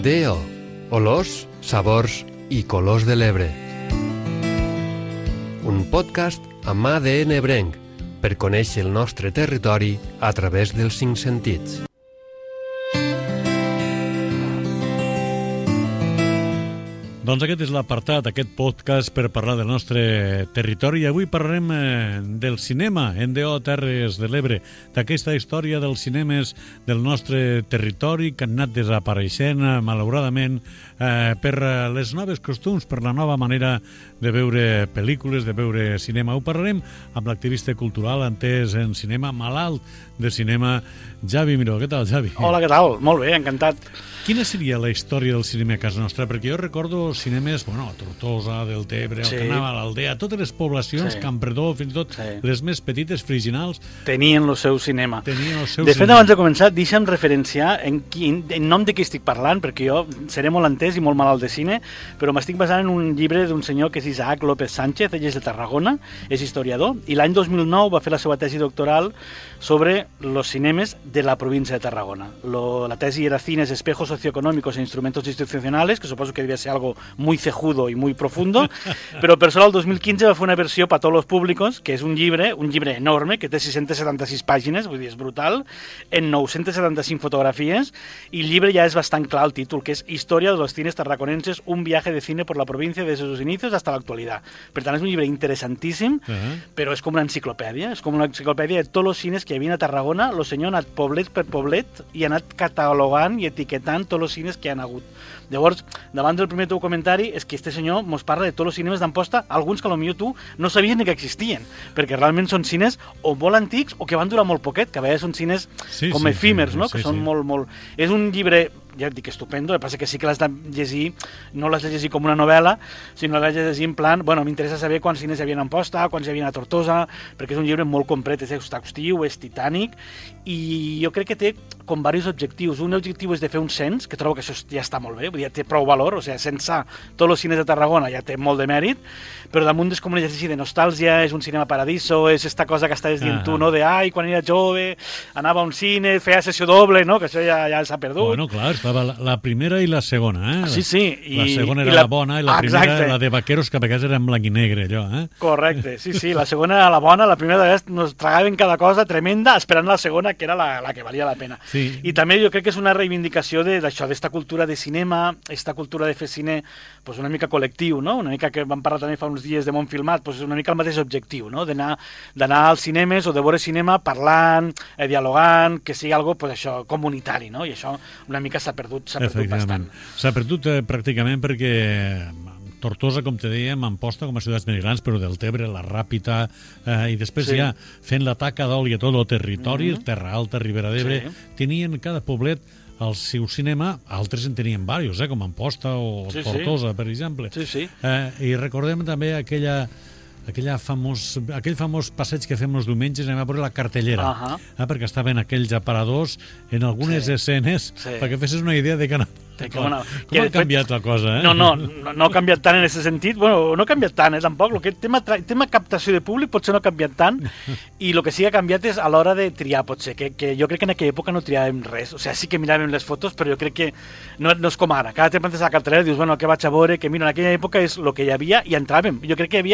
DO, olors, sabors i colors de l'Ebre. Un podcast amb ADN ebrenc per conèixer el nostre territori a través dels 5 sentits. Doncs aquest és l'apartat, aquest podcast per parlar del nostre territori. I avui parlarem del cinema en DO Terres de l'Ebre, d'aquesta història dels cinemes del nostre territori que han anat desapareixent, malauradament, per les noves costums, per la nova manera de veure pel·lícules, de veure cinema. Ho parlarem amb l'activista cultural entès en cinema, malalt de cinema, Javi Miró. Què tal, Javi? Hola, què tal? Molt bé, encantat. Quina seria la història del cinema a casa nostra? Perquè jo recordo cinemes, a Tortosa, Deltebre, el que anava a l'Aldea, totes les poblacions, Campredó, fins i tot les més petites, Friginals... Tenien el seu cinema. De fet, abans de començar, deixa'm referenciar en nom de qui estic parlant, perquè jo seré molt entès i molt malalt de cine, però m'estic basant en un llibre d'un senyor que és Isaac López Sánchez, ell és de Tarragona, és historiador, i l'any 2009 va fer la seva tesi doctoral sobre los cinemes de la província de Tarragona. La tesi era Cines, espejos socioeconómicos e instrumentos institucionales, que suposo que debía ser algo muy cejudo y muy profundo, però per sort el 2015 va fer una versió per a tots els públics, que és un llibre enorme, que té 676 pàgines, vull dir, és brutal, en 975 fotografies, i el llibre ja és bastant clar el títol, que és Historia de los cines tarraconenses, un viaje de cine por la provincia desde sus inicios hasta la actualidad. Per tant, és un llibre interessantíssim, però és com una enciclopèdia, és com una enciclopèdia de tots els cines que hi havia a Tarragona. El senyor ha anat poblet per poblet i ha anat catalogant i etiquetant tots els cines que hi ha hagut. Llavors, davant del primer teu comentari, és que este senyor mos parla de tots els cinemes d'Amposta, alguns que potser tu no sabies ni que existien, perquè realment són cines o molt antics o que van durar molt poquet, que a vegades són cines com efímers, no? Que són molt... És un llibre, ja et dic, estupendo, el que passa que sí que l'has de llegir, no l'has de llegir com una novel·la, sinó l'has de llegir en plan, m'interessa saber quants cines hi havia a Amposta, quants hi havia a Tortosa, perquè és un llibre molt complet, és exhaustiu, és titànic, i jo crec que té com diversos objectius. Un objectiu és de fer un cens, que trobo que això ja està molt bé, ja té prou valor, o sigui, censar tots els cines de Tarragona ja té molt de mèrit, però damunt és com un exercici de nostàlgia, és un cinema paradiso, és esta cosa que estaves dient tu, no? De, quan era jove, anava a un cine, feia sessió doble, no? Que això ja s'ha perdut. Bueno, clar, estava la primera i la segona, Sí. La segona era la bona i la primera era la de vaqueros, que a vegades era en blanc i negre, allò, Correcte, sí, la segona era la bona, la primera de vegades nos tragaven cada cosa tremenda, esperant la segona, que era la que valia la pena. Sí. I també jo crec que és una reivindicació d'això, d'esta cultura de cinema, esta cultura de fer cine pues una mica col·lectiu, no? Una mica que vam parlar també fa uns dies de Món Filmat, pues una mica el mateix objectiu, no? D'anar als cinemes o de veure cinema parlant, dialogant, que sigui algo pues això comunitari, no? I això una mica s'ha perdut bastant. S'ha perdut pràcticament perquè Tortosa, com te dèiem, Amposta com a ciutats més grans, però Deltebre, la Ràpita, i després ja fent la taca d'oli a tot el territori, Terra Alta, Ribera d'Ebre, tenien cada poblet el seu cinema, altres en tenien diversos, com Amposta o Tortosa, per exemple. I recordem també aquell famós passeig que fem els diumenges, anem a veure la cartellera, perquè estaven aquells aparadors en algunes escenes, perquè fessis una idea de que com ha canviat la cosa, No ha canviat tant en aquest sentit. Bueno, no ha canviat tant, tampoc. El tema captació de públic potser no ha canviat tant, i el que sí que ha canviat és a l'hora de triar, potser, que jo crec que en aquella època no triàvem res. O sigui, sí que miràvem les fotos, però jo crec que no és com ara. Cada temps antes de la cartellera dius, què vaig a veure, que mira, en aquella època és el que hi havia i entràvem. Jo crec que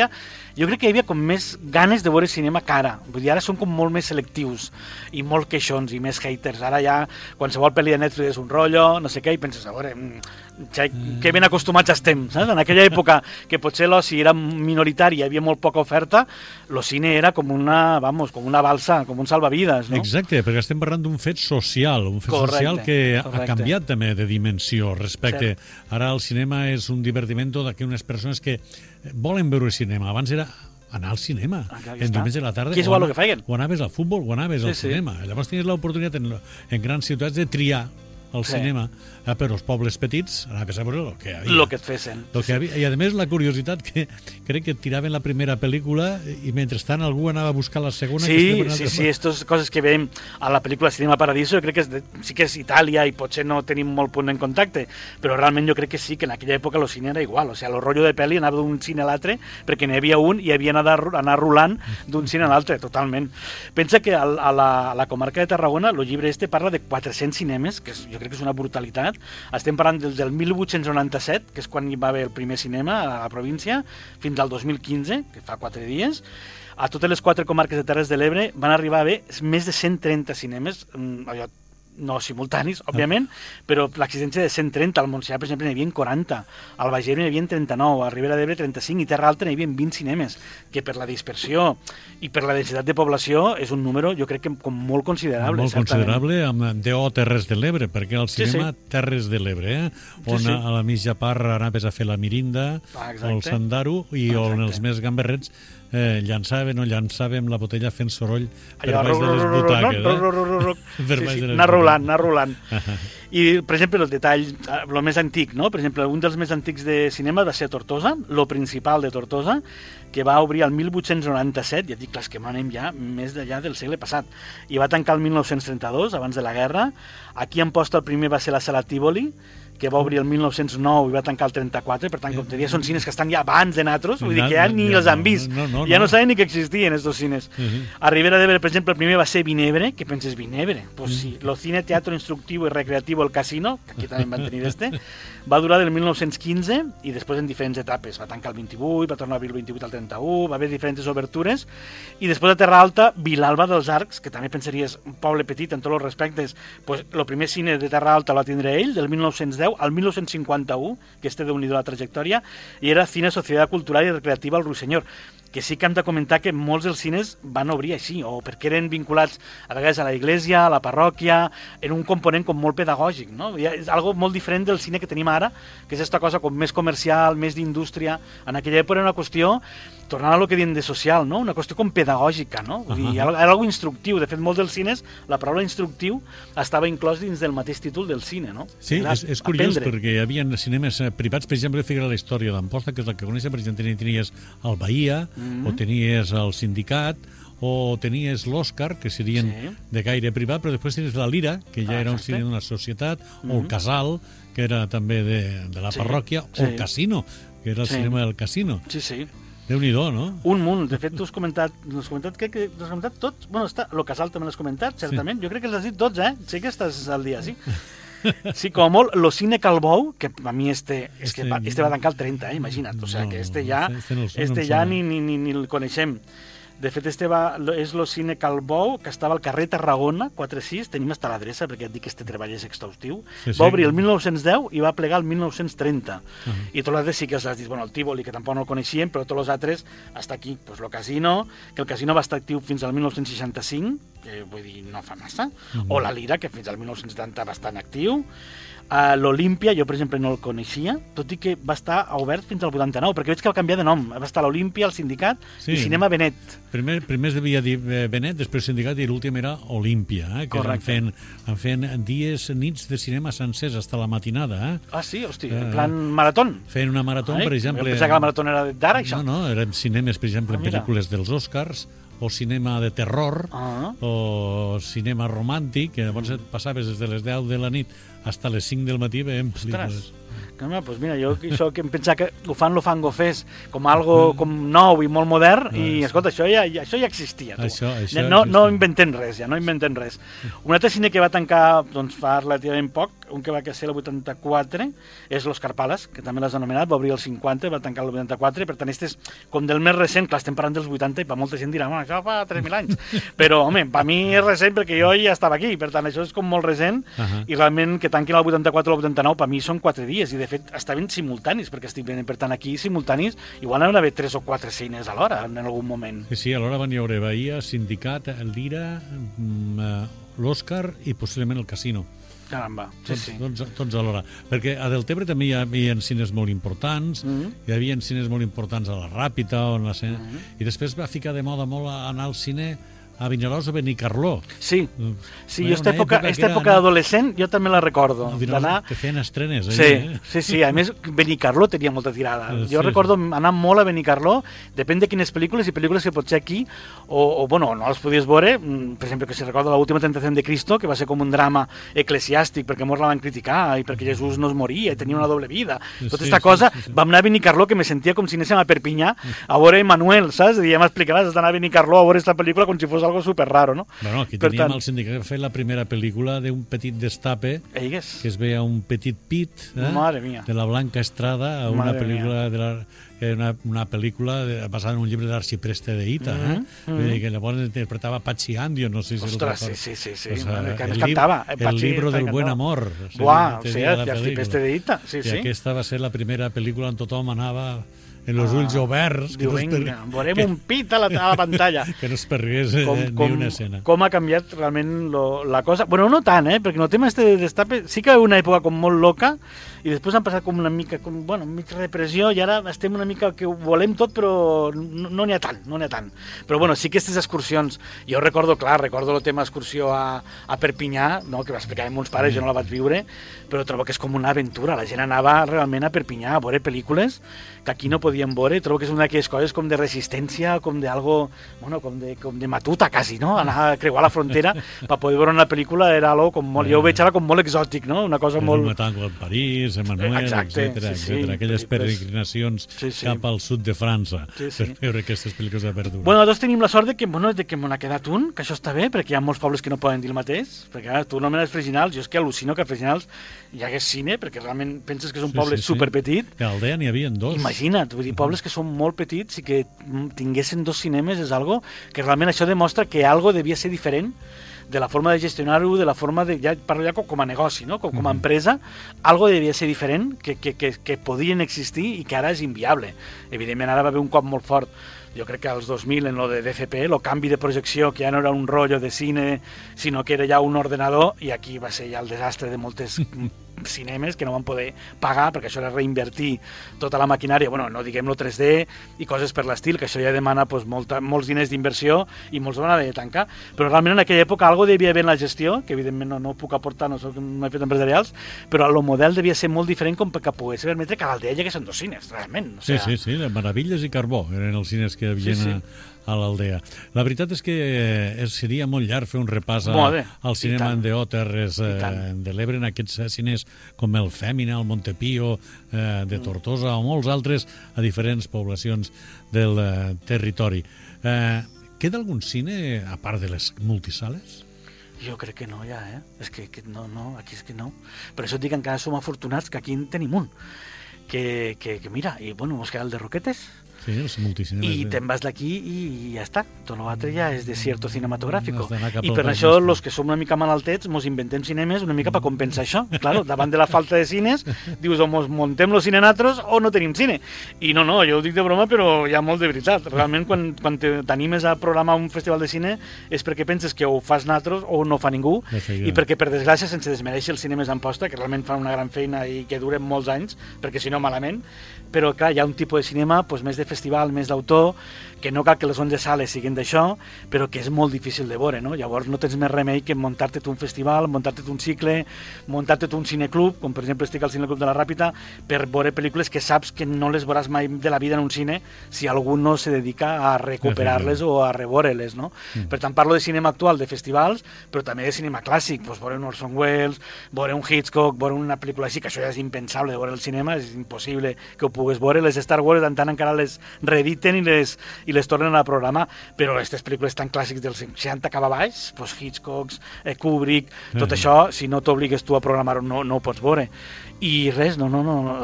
hi havia com més ganes de veure cinema que ara. Vull dir, ara són com molt més selectius i molt queixons i més haters. Ara ja qualsevol pel·li de Netflix és un rotllo, no sé què, i penses, a veure, que ben acostumats estem, saps? En aquella època que potser l'oci era minoritari, hi havia molt poca oferta, el cine era com una balsa, com un salvavides, no? Exacte, perquè estem parlant d'un fet social, social que ha canviat també de dimensió respecte. Ara el cinema és un divertimento d'aquelles persones que volen veure cinema. Abans era anar al cinema, en diumenge a la tarda, o anaves al futbol o anaves al cinema. Llavors tenies l'oportunitat en grans ciutats de triar al cinema, però els pobles petits anaves a veure el que hi havia. El que et fessin. I a més la curiositat que crec que tiraven la primera pel·lícula i mentrestant algú anava a buscar la segona. Sí, aquestes coses que veiem a la pel·lícula Cinema Paradiso, jo crec que sí que és Itàlia i potser no tenim molt punt en contacte, però realment jo crec que sí, que en aquella època el cine era igual, o sigui, el rotllo de pel·li anava d'un cine a l'altre perquè n'hi havia un i havia d'anar rolant d'un cine a l'altre, totalment. Pensa que a la comarca de Tarragona el llibre parla de 400 cinemes, que jo crec que és una brutalitat. Estem parlant del 1897, que és quan hi va haver el primer cinema a la província, fins al 2015, que fa 4 dies. A totes les 4 comarques de Terres de l'Ebre van arribar a haver més de 130 cinemes, allò, no simultanis, òbviament, però l'existència de 130, al Montsià, per exemple, n'hi havia 40, al Baix Ebre n'hi havia 39, a Ribera d'Ebre 35 i Terra Alta n'hi havia 20 cinemes, que per la dispersió i per la densitat de població és un número, jo crec que com molt considerable. Molt considerable, amb D.O. Terres de l'Ebre, perquè el cinema Terres de l'Ebre, on a la mitja part anaves a fer la mirinda, o el sandaro, i on els més gamberrets llançàvem la botella fent soroll per baix de les butaques. Anar rolant. I, per exemple, el detall, el més antic, no? Per exemple, un dels més antics de cinema va ser a Tortosa, lo principal de Tortosa, que va obrir el 1897, ja dic, clar, és que anem ja més d'allà del segle passat, i va tancar el 1932, abans de la guerra. Aquí a Amposta el primer va ser la Sala Tívoli, que va obrir el 1909 i va tancar el 34, per tant, com te deia, són cines que estan ja abans de nosaltres, vull dir que ja ni els han vist, ja no saben ni que existien estos cines. A Ribera d'Ebre, per exemple, el primer va ser Vinebre, que penses Vinebre? Pues sí, lo cine, teatro instructivo y recreativo El Casino, que aquí també van tenir va durar del 1915 i després en diferents etapes, va tancar el 28, va tornar a obrir el 28 al 31, va haver diferents obertures, i després de Terra Alta, Vilalba dels Arcs, que també pensaries un poble petit en tots els respectes, pues el primer cine de Terra Alta el va tindre ell, del 1910 al 1951, que este déu-n'hi-do la trajectòria, i era Cine Societat Cultural i Recreativa al Ruisenyor, que sí que hem de comentar que molts dels cines van obrir així, o perquè eren vinculats a vegades a la iglesia, a la parròquia, en un component com molt pedagògic, no? És algo molt diferent del cine que tenim ara, que és aquesta cosa com més comercial, més d'indústria. En aquella època era una qüestió, tornant a lo que diem de social, no? Una qüestió com pedagògica, no? Vull dir, era algo instructiu. De fet, molts dels cines, la paraula instructiu estava inclòs dins del mateix títol del cine, no? Sí, és curiós, perquè hi havia cinemes privats, per exemple, figura la història d'Amposta, que és la que coneixes, per exemple, tenies el Bahia, o tenies el Sindicat, o tenies l'Òscar, que serien de gaire privat, però després tenies la Lira, que ja era un cine d'una societat, o el Casal, que era també de la parròquia, o el Casino, que era el cinema del Casino. Sí. Déu-n'hi-do, no? Un munt. De fet, tu has comentat tots. Bueno, el Casal també l'has comentat, certament. Jo crec que els has dit tots, Sí que estàs al dia, sí. Sí, com a molt, lo cine Calbou, que a mi este va tancar el 30, imagina't. O sea, que este ja ni el coneixem. De fet, és lo cine Calbou, que estava al carrer Tarragona, 4-6, tenim hasta l'adreça, perquè et dic que este treball és exhaustiu. Va obrir el 1910 i va plegar el 1930. I tots els altres sí que els has dit, bueno, el Tívoli, que tampoc no el coneixíem, però tots els altres, hasta aquí, pues el Casino, que el Casino va estar actiu fins al 1965, que vull dir, no fa massa, o la Lira, que fins al 1970 va estar en actiu. L'Olímpia, jo per exemple no el coneixia, tot i que va estar obert fins al 89, perquè veig que va canviar de nom. Va estar l'Olímpia, el Sindicat i Cinema Benet. Primer es devia dir Benet, després Sindicat, i l'últim era Olímpia, que van fent nits de cinema sencers fins a la matinada. Ah, sí? Hosti, en plan maratón? Fent una marató, per exemple... Jo pensava que la marató era d'ara, això. No, eren cinemes, per exemple, en pel·lícules dels Oscars, o cinema de terror, o cinema romàntic, que llavors et passaves des de les 10 de la nit fins a les 5 del matí veiem pel·lícules. Pues mira, jo això que em pensava que ho fan lo Fango Fest com algo com nou i molt modern, i escolta, això ja existia, tu. No inventem res, ja, no inventem res. Un altre cine que va tancar fa relativament poc, un que va ser el 84, és Los Carpalas, que també l'has anomenat, va obrir el 50, va tancar el 84, per tant, este és com del més recent, clar, estem parlant dels 80, i per molta gent dirà, bueno, això fa 3.000 anys, però, home, per mi és recent perquè jo ja estava aquí, per tant, això és com molt recent, i realment que tanquin el 84 o el 89, per mi són 4 dies, i de fet estaven simultanis, perquè estic venint, per tant, aquí simultanis, igual anaven a haver 3 o 4 cines alhora, en algun moment. Sí, alhora van hi haure Bahia, Sindicat, el Lira, l'Òscar i possiblement el Casino. Caramba, sí. Tots alhora. Perquè a Deltebre també hi havia cines molt importants, hi havia cines molt importants a la Ràpita, i després va ficar de moda molt anar al cine a Vinaròs o Benicarló. Sí, jo aquesta època d'adolescent jo també la recordo. Que feien estrenes. Sí, a més Benicarló tenia molta tirada. Jo recordo anar molt a Benicarló, depèn de quines pel·lícules, i pel·lícules que potser aquí, o bueno, no les podies veure, per exemple, que si recordo l'última tentació de Cristo, que va ser com un drama eclesiàstic, perquè molts la van criticar, i perquè Jesús no es moria, i tenia una doble vida. Tota aquesta cosa, vam anar a Benicarló, que me sentia com si anéssim a Perpinyà, a veure Manuel, saps? I ja m'explicaràs, has d'anar a Benicarló a veure aquesta pel·lícula com si fos algo super raro, no? Bueno, aquí teníem el sindicat que fer la primera pel·lícula d'un petit destape, que es veia un petit pit, de la Blanca Estrada, una pel·lícula una pel·lícula basada en un llibre d'Arxipreste de Ita, que llavors interpretava Pachi Andio, no sé si Ostres, sí, que ens cantava. El libro del buen amor. Buah, o sigui, d'Arxipreste de Ita, sí. I aquesta va ser la primera pel·lícula on tothom anava en els ulls oberts. Diu, vinga, veurem un pit a la pantalla. Que no es pergués ni una escena. Com ha canviat realment la cosa. Bueno, no tant, perquè el tema de destape sí que hi ha una època com molt loca i després han passat com una mica, mig repressió i ara estem una mica que ho volem tot però no n'hi ha tant, Però bueno, sí que aquestes excursions, jo recordo el tema excursió a Perpinyà, no, que m'explicaven meus pares, jo no la vaig viure, però trobo que és com una aventura, la gent anava realment a Perpinyà a veure pel·lícules que aquí no podíem veure, trobo que és una d'aquelles coses com de resistència, com d'algo, bueno, com de matuta quasi, no? Anar a creuar la frontera per poder veure una pel·lícula era algo com molt, jo ho veig ara com molt exòtic, no? Una cosa molt... Un tango en París, Emmanuel, etc. Aquelles peregrinacions cap al sud de França per veure aquestes pel·lícules de verdura. Bueno, nosaltres tenim la sort de que me n'ha quedat un, que això està bé, perquè hi ha molts pobles que no poden dir el mateix, perquè tu anomenes Freginals, jo és que al·lucino que a Freginals hi hagués cine, perquè realment penses que és un poble superpetit. A Aldea n'hi havia dos. Imagina't, vull dir, pobles que són molt petits i que tinguessin 2 cinemes és algo que realment això demostra que algo devia ser diferent de la forma de gestionar-ho, de la forma de... Ja parlo ja com a negoci, no? Com a empresa, algo devia ser diferent, que podien existir i que ara és inviable. Evidentment, ara va haver un cop molt fort. Jo crec que als 2000, en lo de DCP, el canvi de projecció, que ja no era un rotllo de cine, sinó que era ja un ordenador, i aquí va ser ja el desastre de moltes cinemes que no van poder pagar, perquè això era reinvertir tota la maquinària, bueno, no diguem-lo 3D i coses per l'estil, que això ja demana pues, molts diners d'inversió i molts van haver de tancar, però realment en aquella època algo devia haver en la gestió, que evidentment no puc aportar, no he fet empresarials, però el model devia ser molt diferent com perquè pogués permetre que a l'Aldea hi hagués 2 cines, realment. O sigui, sí, Meravilles i Carbó eren els cines que havien a l'Aldea. La veritat és que seria molt llarg fer un repàs al cinema Endeo Terres de l'Ebre, en aquests cines com el Fèmina, el Montepío, de Tortosa o molts altres a diferents poblacions del territori. Queda algun cine a part de les multisales? Jo crec que no, ja, És que no, aquí és que no. Per això et dic que encara som afortunats que aquí en tenim un. Que mira, i bueno, mos queda el de Roquetes, sí, els multicinemes. I te'n vas d'aquí i ja està. Tot l'altre ja és desierto cinematográfico. I per això, els que som una mica malaltets, mos inventem cinemes una mica per compensar això. Claro, davant de la falta de cines, dius, o mos montem los cinenatros o no tenim cine. I no, jo ho dic de broma, però hi ha molt de veritat. Realment, quan t'animes a programar un festival de cine, és perquè penses que o fas natros o no fa ningú, i perquè, per desgràcia, sense desmereixer els cinemes d'Amposta, que realment fan una gran feina i que duren molts anys, perquè si no, malament, però clar, hi ha un tipus de cinema més de festival, més d'autor, que no cal que les 11 sales siguin d'això, però que és molt difícil de veure, no? Llavors no tens més remei que muntar-te un festival, muntar-te un cicle, muntar-te un cineclub, com per exemple estic al Cineclub de la Ràpita, per veure pel·lícules que saps que no les veuràs mai de la vida en un cine si algú no se dedica a recuperar-les o a reveure-les, no? Per tant, parlo de cinema actual, de festivals, però també de cinema clàssic, veure un Orson Welles, veure un Hitchcock, veure una pel·lícula així, que això ja és impensable de veure al cinema, és impossible que ho pugues veure. Les Star Wars tant encara les reediten i les tornen a programar, però aquestes pel·lícules tan clàssics dels 60 cap a baix, doncs Hitchcock, Kubrick, tot això, si no t'obligues tu a programar-ho, no ho pots veure. I res, no,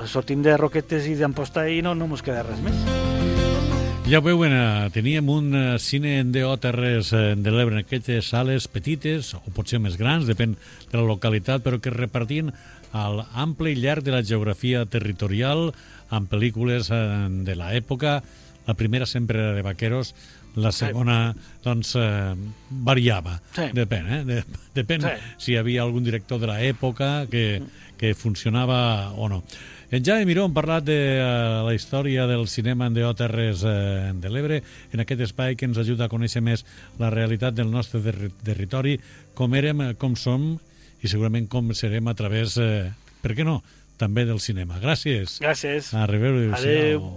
sortim de Roquetes i d'Amposta i no mos queda res més. Ja ho veuen, teníem un cine Endeo Terres de l'Ebre en aquestes sales petites, o potser més grans, depèn de la localitat, però que es repartien al ample i llarg de la geografia territorial, amb pel·lícules de l'època. La primera sempre era de vaqueros, la segona, doncs, variava. Sí. Depèn si hi havia algun director de l'època que funcionava o no. En Jaume Miró hem parlat de la història del cinema Endeo Terres de l'Ebre, en aquest espai que ens ajuda a conèixer més la realitat del nostre territori, com érem, com som i segurament com serem a través, per què no, també del cinema. Gràcies. Gràcies. A reveure. Adéu.